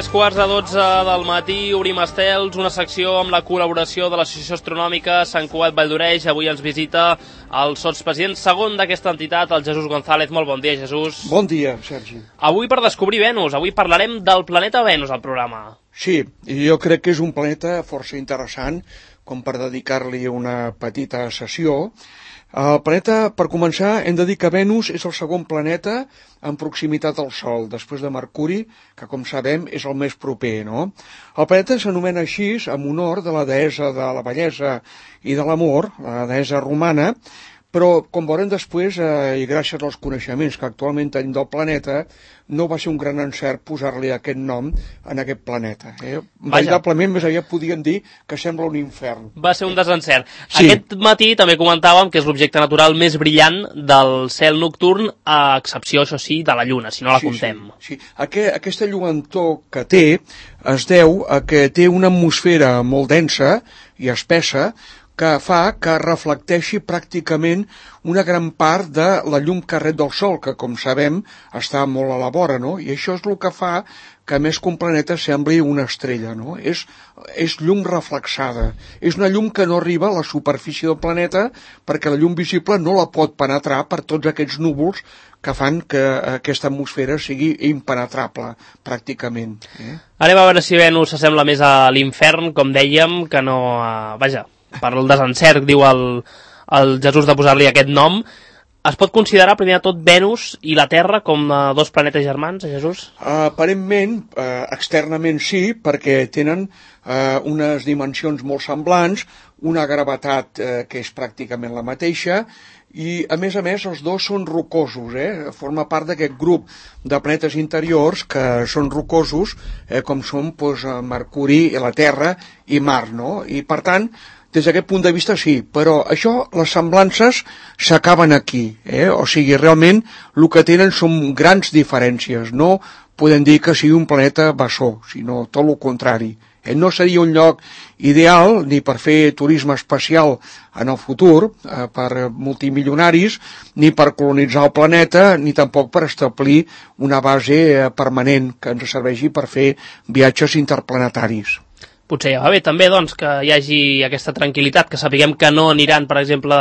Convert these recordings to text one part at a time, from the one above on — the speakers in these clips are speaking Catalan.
3:45 del matí, obrim estels, una secció amb la col·laboració de l'Associació Astronòmica Sant Cugat Valldoreix. Avui ens visita el sotspresident segon d'aquesta entitat, el Jesús González. Molt bon dia, Jesús. Bon dia, Sergi. Avui per descobrir Venus, avui parlarem del planeta Venus al programa. Sí, jo crec que és un planeta força interessant, com per dedicar-li una petita sessió. El planeta, per començar, hem de dir que Venus és el segon planeta en proximitat al Sol, després de Mercuri, que, com sabem, és el més proper, no? El planeta s'anomena així en honor de la deessa de la bellesa i de l'amor, la deessa romana, però, com veurem després, i gràcies als coneixements que actualment tenim del planeta, no va ser un gran encert posar-li aquest nom en aquest planeta. Veritablement, més aviat podíem dir que sembla un infern. Va ser un desencert. Sí. Aquest matí també comentàvem que és l'objecte natural més brillant del cel nocturn, a excepció, això sí, de la Lluna, si no la comptem. Sí. Aquesta lluentor que té es deu a que té una atmosfera molt densa i espessa, que fa que reflecteixi pràcticament una gran part de la llum que rep del Sol, que, com sabem, està molt a la vora, no? I això és el que fa que més que un planeta sembli una estrella, no? És llum reflexada. És una llum que no arriba a la superfície del planeta perquè la llum visible no la pot penetrar per tots aquests núvols que fan que aquesta atmosfera sigui impenetrable, pràcticament. Anem a veure si Venus s'assembla més a l'infern, com dèiem, que no a... Vaja, per el desencert, diu el Jesús de posar-li aquest nom. Es pot considerar, primer de tot, Venus i la Terra com dos planetes germans, Jesús? Aparentment, externament sí, perquè tenen unes dimensions molt semblants, una gravetat que és pràcticament la mateixa, i, a més, els dos són rocosos, forma part d'aquest grup de planetes interiors que són rocosos, com són Mercuri, la Terra i Mar, no? I, per tant, des d'aquest punt de vista sí, però això, les semblances s'acaben aquí, O sigui, realment el que tenen són grans diferències, no podem dir que sigui un planeta bessó, sinó tot el contrari. No seria un lloc ideal ni per fer turisme espacial en el futur, per multimilionaris, ni per colonitzar el planeta, ni tampoc per establir una base permanent que ens serveixi per fer viatges interplanetaris. Potser ja va bé també, doncs, que hi hagi aquesta tranquil·litat, que sapiguem que no aniran, per exemple,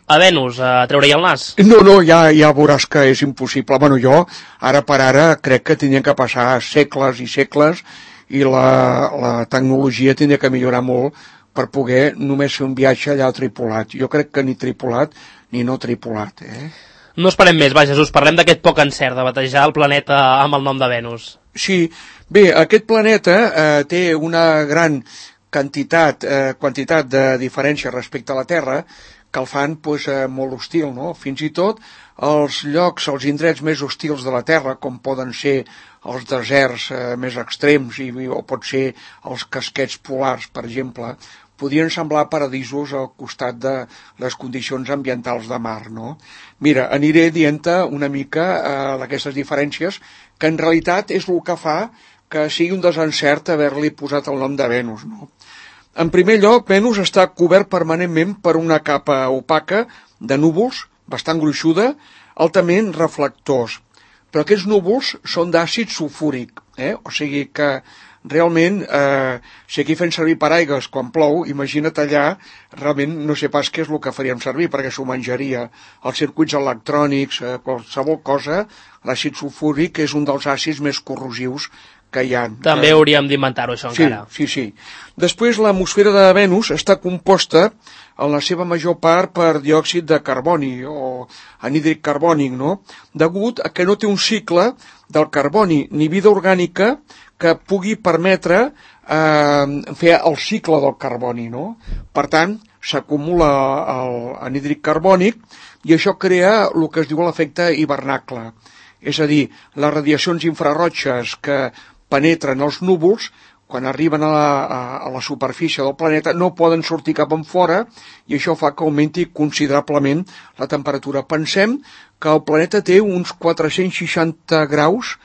a Venus a treure-hi el nas. No, ja veuràs que és impossible. Bueno, jo, ara per ara, crec que tindrien que passar segles i segles i la tecnologia tindria que millorar molt per poder només fer un viatge allà tripulat. Jo crec que ni tripulat ni no tripulat. No esperem més, va, Jesús, parlem d'aquest poc encert de batejar el planeta amb el nom de Venus. Sí, bé, aquest planeta té una gran quantitat de diferència respecte a la Terra que el fan molt hostil, no? Fins i tot els llocs, els indrets més hostils de la Terra, com poden ser els deserts més extrems o pot ser els casquets polars, per exemple, podrien semblar paradisos al costat de les condicions ambientals de mar, no? Mira, aniré dient-te una mica d'aquestes diferències, que en realitat és el que fa que sigui un desencert haver-li posat el nom de Venus, no? En primer lloc, Venus està cobert permanentment per una capa opaca de núvols, bastant gruixuda, altament reflectors. Però aquests núvols són d'àcid sulfúric, O sigui que realment, si aquí fem servir paraigües quan plou, imagina't allà, realment no sé pas què és el que faríem servir, perquè s'ho menjaria. Els circuits electrònics, qualsevol cosa, l'àcid sulfúric és un dels àcids més corrosius que hi ha. També hauríem d'inventar-ho, això, encara. Sí. Després, l'atmosfera de Venus està composta, en la seva major part, per diòxid de carboni, o anhídrid carbònic, no? Degut a que no té un cicle del carboni ni vida orgànica que pugui permetre fer el cicle del carboni, no? Per tant, s'acumula l'anhídrid carbònic i això crea el que es diu l'efecte hivernacle. És a dir, les radiacions infrarroges que penetren els núvols, quan arriben a la superfície del planeta, no poden sortir cap enfora i això fa que augmenti considerablement la temperatura. Pensem que el planeta té uns 460 graus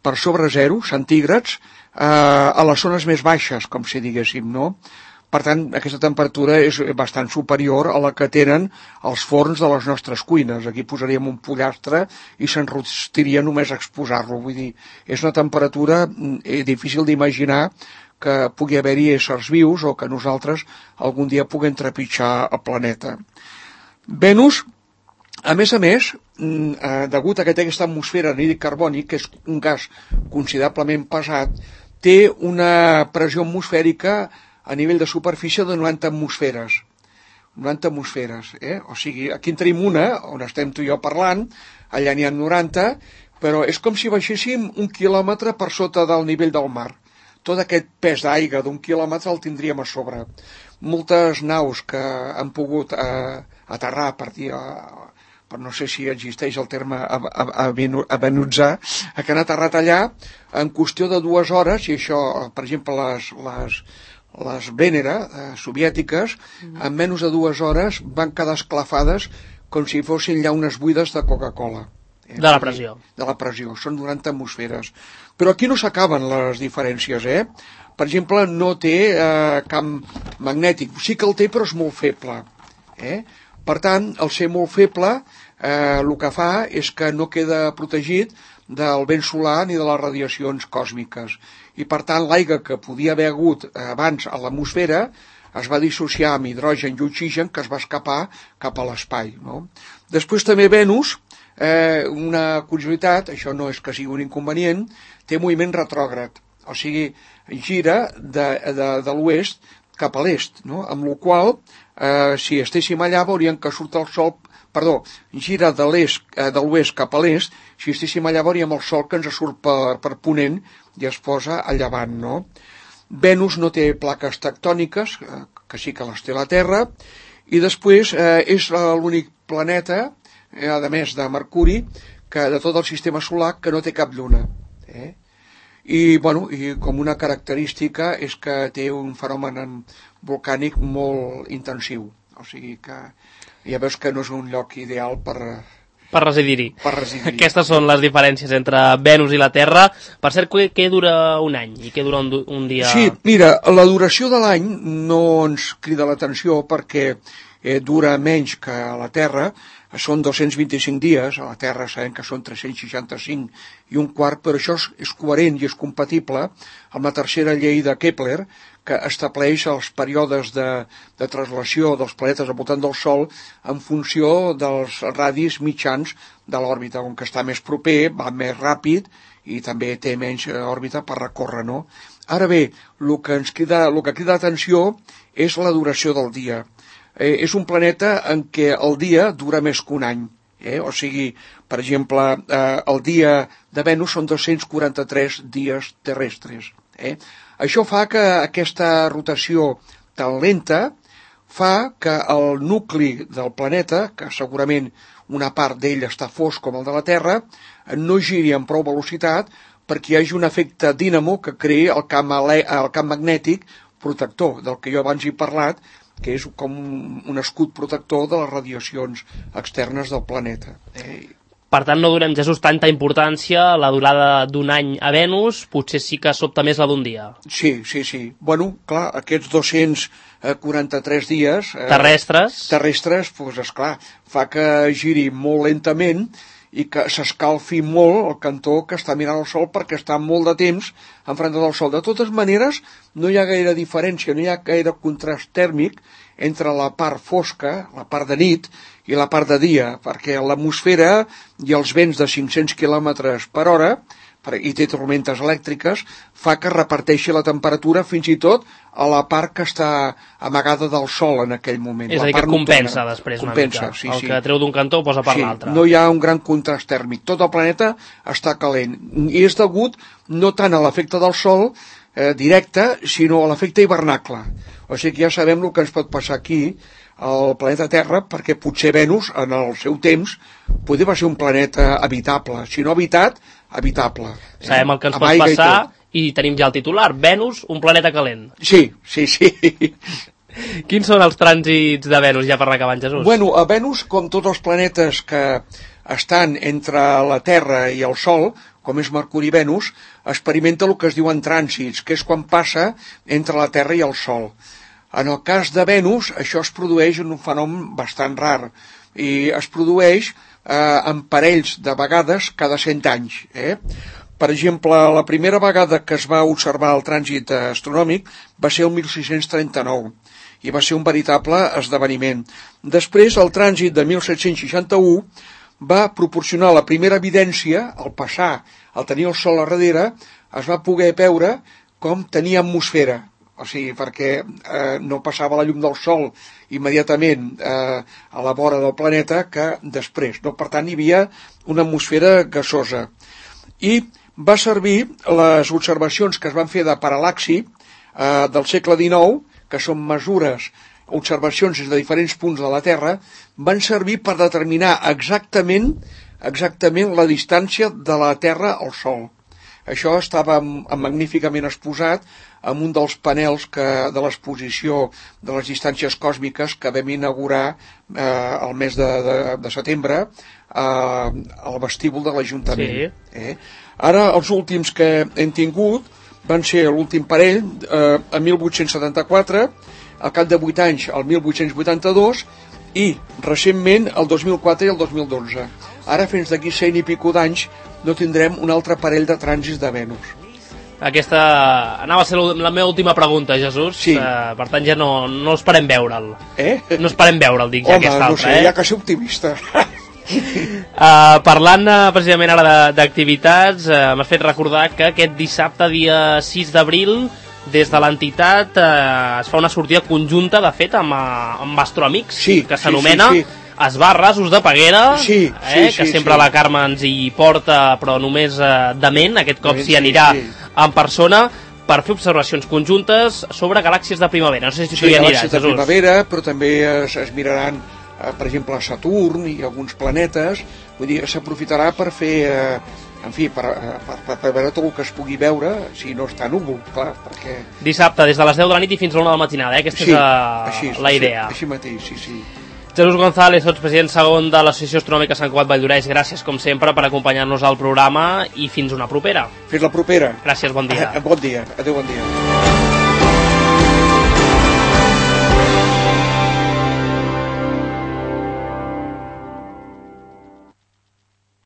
per sobre 0 centígrads a les zones més baixes, com si diguéssim, no? Per tant, aquesta temperatura és bastant superior a la que tenen els forns de les nostres cuines. Aquí posaríem un pollastre i s'enrostiria només exposar-lo. Vull dir, és una temperatura difícil d'imaginar que pugui haver-hi éssers vius o que nosaltres algun dia puguem trepitjar el planeta. Venus, a més, degut a que té aquesta atmosfera anhídrid carbònic, que és un gas considerablement pesat, té una pressió atmosfèrica a nivell de superfície de 90 atmosferes. 90 atmosferes, O sigui, aquí en tenim una, on estem tu i jo parlant, allà n'hi ha 90, però és com si baixéssim 1 quilòmetre per sota del nivell del mar. Tot aquest pes d'aigua d'1 quilòmetre el tindríem a sobre. Moltes naus que han pogut aterrar per dir, però no sé si existeix el terme avenutzar, que han aterrat allà en qüestió de 2 hores, i això, per exemple, les Venera soviètiques, en menys de 2 hores van quedar esclafades com si fossin llaunes buides de Coca-Cola. De la pressió. De la pressió, són 90 atmosferes. Però aquí no s'acaben les diferències, Per exemple, no té camp magnètic. Sí que el té, però és molt feble. Per tant, al ser molt feble, el que fa és que no queda protegit del vent solar ni de les radiacions còsmiques. I per tant, l'aigua que podia haver hagut abans a l'atmosfera es va dissociar amb hidrogen i oxigen que es va escapar cap a l'espai. No? Després també Venus, una curiositat, això no és que sigui un inconvenient, té moviment retrògrad, o sigui, gira de l'oest cap a l'est, no? Amb la qual si estéssim allà veuríem que surt el sol, gira de l'oest cap a l'est, si estéssim allà veuríem el sol que ens surt per ponent i es posa a llevant, no? Venus no té plaques tectòniques, que sí que les té la Terra, i després és l'únic planeta, a més de Mercuri, que de tot el sistema solar que no té cap lluna. I com una característica és que té un fenomen volcànic molt intensiu. O sigui que ja veus que no és un lloc ideal per residir-hi. Per residir-hi. Aquestes són les diferències entre Venus i la Terra. Per cert, què dura un any i què dura un dia? Sí, mira, la duració de l'any no ens crida l'atenció perquè dura menys que a la Terra. Són 225 dies, a la Terra sabem que són 365 i un quart, però això és coherent i és compatible amb la tercera llei de Kepler, que estableix els períodes de translació dels planetes al voltant del Sol en funció dels radis mitjans de l'òrbita, on que està més proper, va més ràpid i també té menys òrbita per recórrer, no? Ara bé, el que crida l'atenció és la duració del dia. És un planeta en què el dia dura més que un any. O sigui, per exemple, el dia de Venus són 243 dies terrestres. Això fa que aquesta rotació tan lenta fa que el nucli del planeta, que segurament una part d'ell està fosc com el de la Terra, no giri amb prou velocitat perquè hi hagi un efecte dínamo que creï el camp magnètic protector, del que jo abans he parlat, que és com un escut protector de les radiacions externes del planeta. Per tant, no donem, Jesús, tanta importància a la durada d'un any a Venus, potser sí que sobta més la d'un dia. Sí. Bueno, clar, aquests 243 dies... terrestres, doncs, esclar, fa que giri molt lentament i que s'escalfi molt el cantó que està mirant el sol perquè està molt de temps enfront del sol. De totes maneres, no hi ha gaire diferència, no hi ha gaire contrast tèrmic entre la part fosca, la part de nit, i la part de dia, perquè l'atmosfera i els vents de 500 km per hora, i té tormentes elèctriques, fa que reparteixi la temperatura fins i tot a la part que està amagada del sol en aquell moment. És a dir, que compensa després una mica. Sí. Que treu d'un cantó ho posa per l'altre. No hi ha un gran contrast tèrmic. Tot el planeta està calent. I és degut no tant a l'efecte del sol directe, sinó a l'efecte hivernacle. O sigui que ja sabem el que ens pot passar aquí al planeta Terra, perquè potser Venus, en el seu temps, podria ser un planeta habitable. Si no habitat, habitable. Sabem el que ens pot passar i tenim ja el titular. Venus, un planeta calent. Sí. Quins són els trànsits de Venus, ja per anar acabant, Jesús? Bueno, a Venus, com tots els planetes que estan entre la Terra i el Sol, com és Mercuri i Venus, experimenta el que es diuen trànsits, que és quan passa entre la Terra i el Sol. En el cas de Venus, això es produeix en un fenomen bastant rar i es produeix en parells de vegades cada 100 anys. Per exemple, la primera vegada que es va observar el trànsit astronòmic va ser el 1639 i va ser un veritable esdeveniment. Després, el trànsit de 1761 va proporcionar la primera evidència, al passar, al tenir el Sol a darrere, es va poder veure com tenia atmosfera, o sigui, perquè no passava la llum del Sol immediatament a la vora del planeta que després, no? Per tant, hi havia una atmosfera gasosa. I va servir les observacions que es van fer de paral·laxi del segle XIX, que són mesures, observacions des de diferents punts de la Terra, van servir per determinar exactament la distància de la Terra al Sol. Això estava magníficament exposat en un dels panels de l'exposició de les distàncies còsmiques que vam inaugurar el mes de setembre al vestíbul de l'Ajuntament. Sí. Ara, els últims que hem tingut van ser l'últim parell, a 1874, al cap de 8 anys, el 1882, i recentment el 2004 i el 2012. Ara, fins d'aquí 100 i pico d'anys, no tindrem un altre parell de trànsits de Venus. Aquesta anava a ser la meva última pregunta, Jesús. Sí. Per tant, ja no esperem veure'l. No esperem veure'l, dic, ja aquesta altra. Home, no sé, ja que ser optimista. Parlant precisament ara d'activitats, m'has fet recordar que aquest dissabte, dia 6 d'abril, des de l'entitat es fa una sortida conjunta, de fet, amb Astroamics, que s'anomena Esbarres, Us de Peguera, que sempre la Carme ens hi porta, però només de ment. Aquest cop s'hi anirà en persona per fer observacions conjuntes sobre galàxies de primavera. No sé si tu hi aniràs, Jesús. Sí, galàxies de primavera, però també es miraran, per exemple, Saturn i alguns planetes. Vull dir, s'aprofitarà per fer, en fi, per veure tot el que es pugui veure, si no està núvol, clar, perquè... Dissabte, des de les 10 de la nit i fins a l'1 de la matinada, aquesta és la idea. Així mateix, sí. Jesús González, sotspresident segon de l'Associació Astronòmica Sant Cugat Valldoreix, gràcies com sempre per acompanyar-nos al programa i fins una propera. Fins la propera. Gràcies, bon dia. Bon dia, adéu, bon dia.